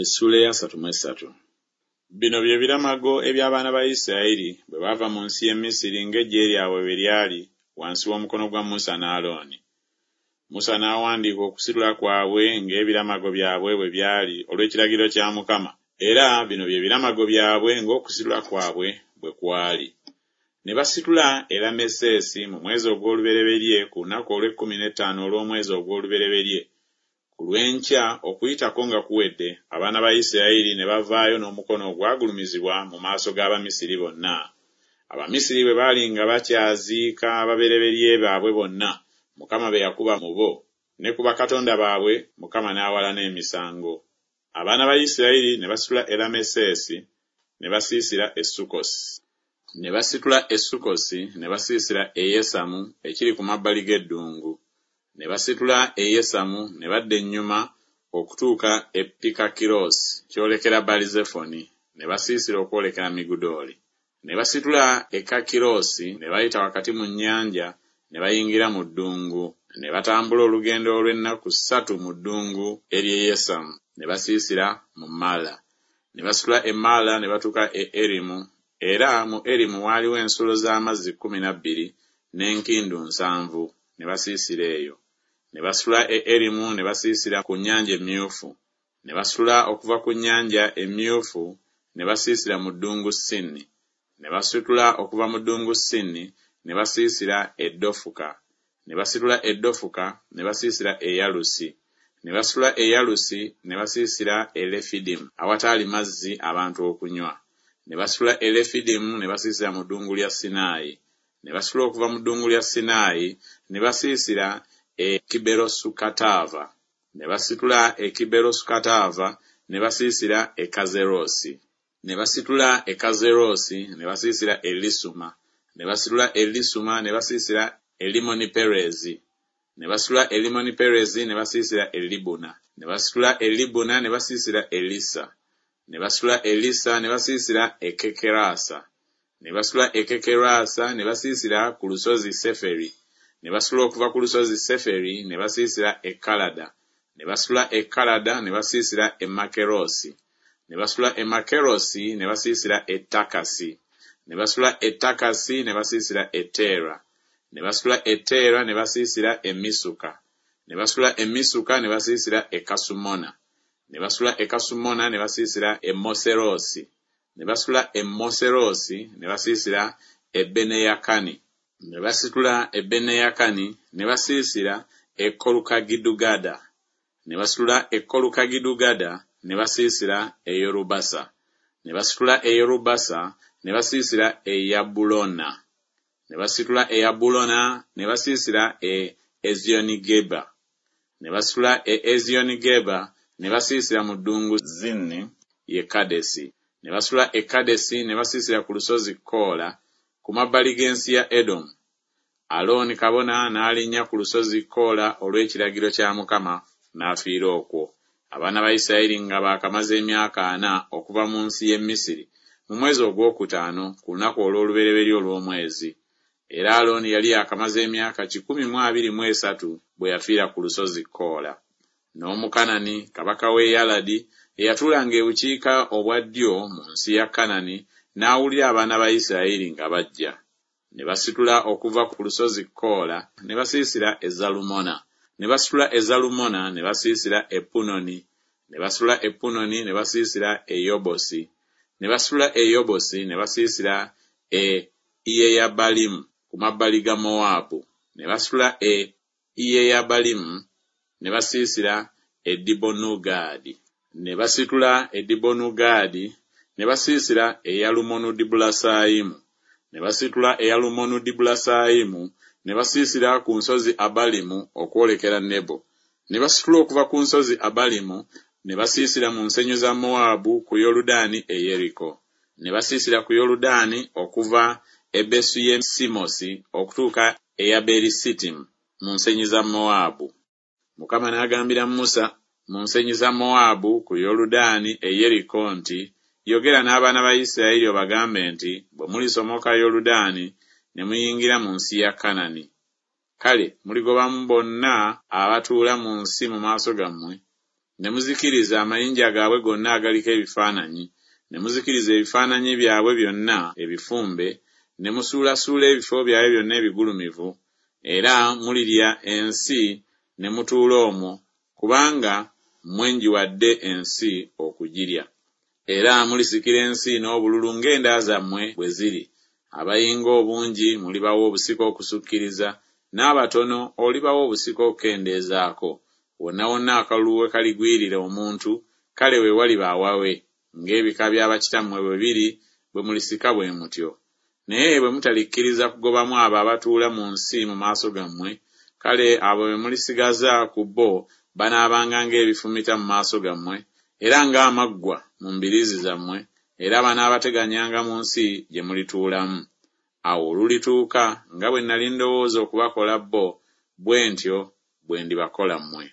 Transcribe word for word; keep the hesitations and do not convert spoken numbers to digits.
Essuula ey'asatu mu essatu. Bino bye biramago eby'abaana ba Isirayiri bwe baava mu nsi y'e Misiri ng'eggye lyabwe bwe lyali wansi w'omukono gwa Musa ne Alooni. Musa n'awandiika okusitula kwabwe ng'ebiramago byabwe bwe byali olw'ekiragiro kya Mukama, era bino bye biramago byabwe ng'okusitula kwabwe bwe kwali. Ne basitula e Lameseesi mu mwezi ogw'olubereberye ku lunaku olw'ekkumi n'ettaano olw'omwezi ogw'olubereberye. Ku lw'enkya Okuyitako nga kuwedde, abaana ba Isirayiri ne bavaayo n'omukono ogwagulumizibwa mu maaso g'Abamisiri bonna. Abamisiri bwe baali nga bakyaziika ababereberye baabwe bonna, Mukama be yakuba mu bo, ne ku bakatonda baabwe Mukama n'awalana emisango. Abaana ba Isirayiri ne basitula e Lameseesi ne basiisira e Sukkosi. Ne basitula e Sukkosi ne basiisira e Yesamu ekiri ku mabbali g'eddungu. Ne basitula e Yesamu ne badda ennyuma okutuuka e Pikakiroosi kyolekera Baalizefoni, ne basiisira okwolekera Migudooli. Ne basitula e Kakiroosi ne bayita wakati mu nnyanja ne bayingira mu ddungu. Ne batambula olugendo olw'ennaku ssatu mu ddungu ery'e Yesamu, ne basiisira mu Mala. Ne basitula e Mala ne batuuka e Erimu, era mu Erimu waaliwo ensulo z'amazzi kkumi na bbiri n'enkindu nsanvu, ne basiisira eyo. Ne basitula e Erimu ne basiisira ku Nnyanja Emyufu. Ne basitula okuva ku Nnyanja Emyufu ne basiisira mu ddungu Sini. Ne basitula okuva mu ddungu Sini ne basiisira e Dofuka. Ne basitula e Dofuka ne basiisira e Yalusi. Ne basitula e Yalusi ne basiisira e Lefidimu awataali mazzi abantu okunywa. Ne basitula e Lefidimu ne basiisira mu ddungu lya Sinaayi. Ne basitula okuva mu ddungu lya Sinaayi ne basiisira e Kiberosukataava. Ne basitula e Kiberosukataava ne basiisira e Kazeroosi. Ne basitula e Kazeroosi ne basiisira e Lisuma. Ne basitula e Lisuma ne basiisira e Limoniperezi. Ne basitula e Limoniperezi ne basiisira e Libuna. Ne basitula e Libuna ne basiisira e Lisa. Ne basitula e Lisa ne basiisira e Kekerasa. Ne basitula e Kekerasa ne basiisira ku lusozi Seferi. Ne basitula okuva ku lusozi Seferi ne basiisira e Kalada. Ne basitula e Kalada ne basiisira e Makeroosi. Ne basitula e Makeroosi ne basiisira e Takasi. Ne basitula e Takasi ne basiisira e Teera. Ne basitula e Teera ne basiisira e Misuka. Ne basitula e Misuka ne basiisira e Kasumona. Ne basitula e Kasumona ne basiisira e Moseroosi. Ne basitula e Moseroosi ne basiisira e Beneyakani. Ne basitula e Beneyakani ne basiisira e Kolukagidugada. Ne basitula e Kolukagidugada ne basiisira e Yorubasa. Ne basitula e Yorubasa ne basiisira e Yabulona. Ne basitula e Yabulona ne basiisira e Eziyonigeba. Ne basitula e Eziyonigeba ne basiisira mu ddungu Zini ye Kadesi. Ne basitula e Kadesi ne basiisira ku lusozi Koola ku mabbali g'ensi ya Edomu. Alooni kabona n'alinnya ku lusozi Koola olw'ekiragiro kya Mukama n'afiira okwo. Abaana ba Isirayiri nga baakamaze emyaka ana okuva mu nsi y'e Misiri mu mwezi ogwokutaano ku lunaku olw'olubereberye olw'omwezi. Era Alooni yali yaakamaze emyaka kikumi mu abiri mu esatu bwe yafiira ku lusozi Koola. N'Omukanani kabaka w'e Yaladi eyatuulanga ebukiika obwa ddyo mu nsi ya Kanani n'awulira abaana ba Isirayiri nga bajja. Ne basitula okuva ku lusozi Koola ne basiisira e Zalumona. Ne basitula e Zalumona ne basiisira e Punoni. Ne basitula e Punoni ne basiisira e Yobosi. Ne basitula e Yobosi ne basiisira e Iyeyabalimu ku mabbali ga Mowaabu. Ne basitula e Iyeyabalimu ne basiisira e Dibonugaadi. Ne basitula e Dibonugaadi ne basiisira e Yalumonudibulasayimu. Ne basitula e Yalumonudibulasayimu ne basiisira ku nsozi Abalimu okwolekera Nebo. Ne basitula okuva ku nsozi Abalimu ne basiisira mu nsenyi za Mowaabu ku Yoludaani e Yeriko. Ne basiisira ku Yoludaani okuva e Besuyesimosi okutuuka e Yaberisitimu mu nsenyi za Mowaabu. Mukama n'agambira Musa mu nsenyi za Mowaabu ku Yoludaani e Yeriko nti, Yogera n'abaana ba Isirayiri obagambe nti, bwe mulisomoka Yoludaani ne muyingira mu nsi ya Kanani. Kale muligobamu bonna abatuula mu nsi mu maaso gammwe, Ne muzikiriza amayinja gaabwe gonna agaliko ebifaananyi, ne muzikiriza ebifaananyi byabwe byonna ebifumbe, ne musuulasuula ebifo byabwe byonna ebigulumivu, era mulirya ensi ne mutuula omwo, kubanga mmwe ngiwadde ensi okugirya. Era mulisikira ensi n'obululu ng'enda zammwe bwe ziri, abayinga obungi mulibawa obusika okusukkiriza, n'abatono olibawa obusika okukendeezaako, wonna wonna akalulu we kaligwirira omuntu, kale we waliba awawe, ng'ebika bya bakitammwe bwe biri, bwe mulisika bwe mutyo. Naye bwe mutalikkiriza kugobamu abo abatuula mu nsi mu maaso gammwe, kale abo be mulisigaza ku bo banaabanga ng'ebifumita mu maaso gammwe, era ng'amaggwa mu mbiriizi zammwe, era banaabateganyanga mu nsi gye mulituulamu. Awo olulituuka nga bwe nnali ndowooza okubakola bo, bwe ntyo bwe ndibakola mmwe.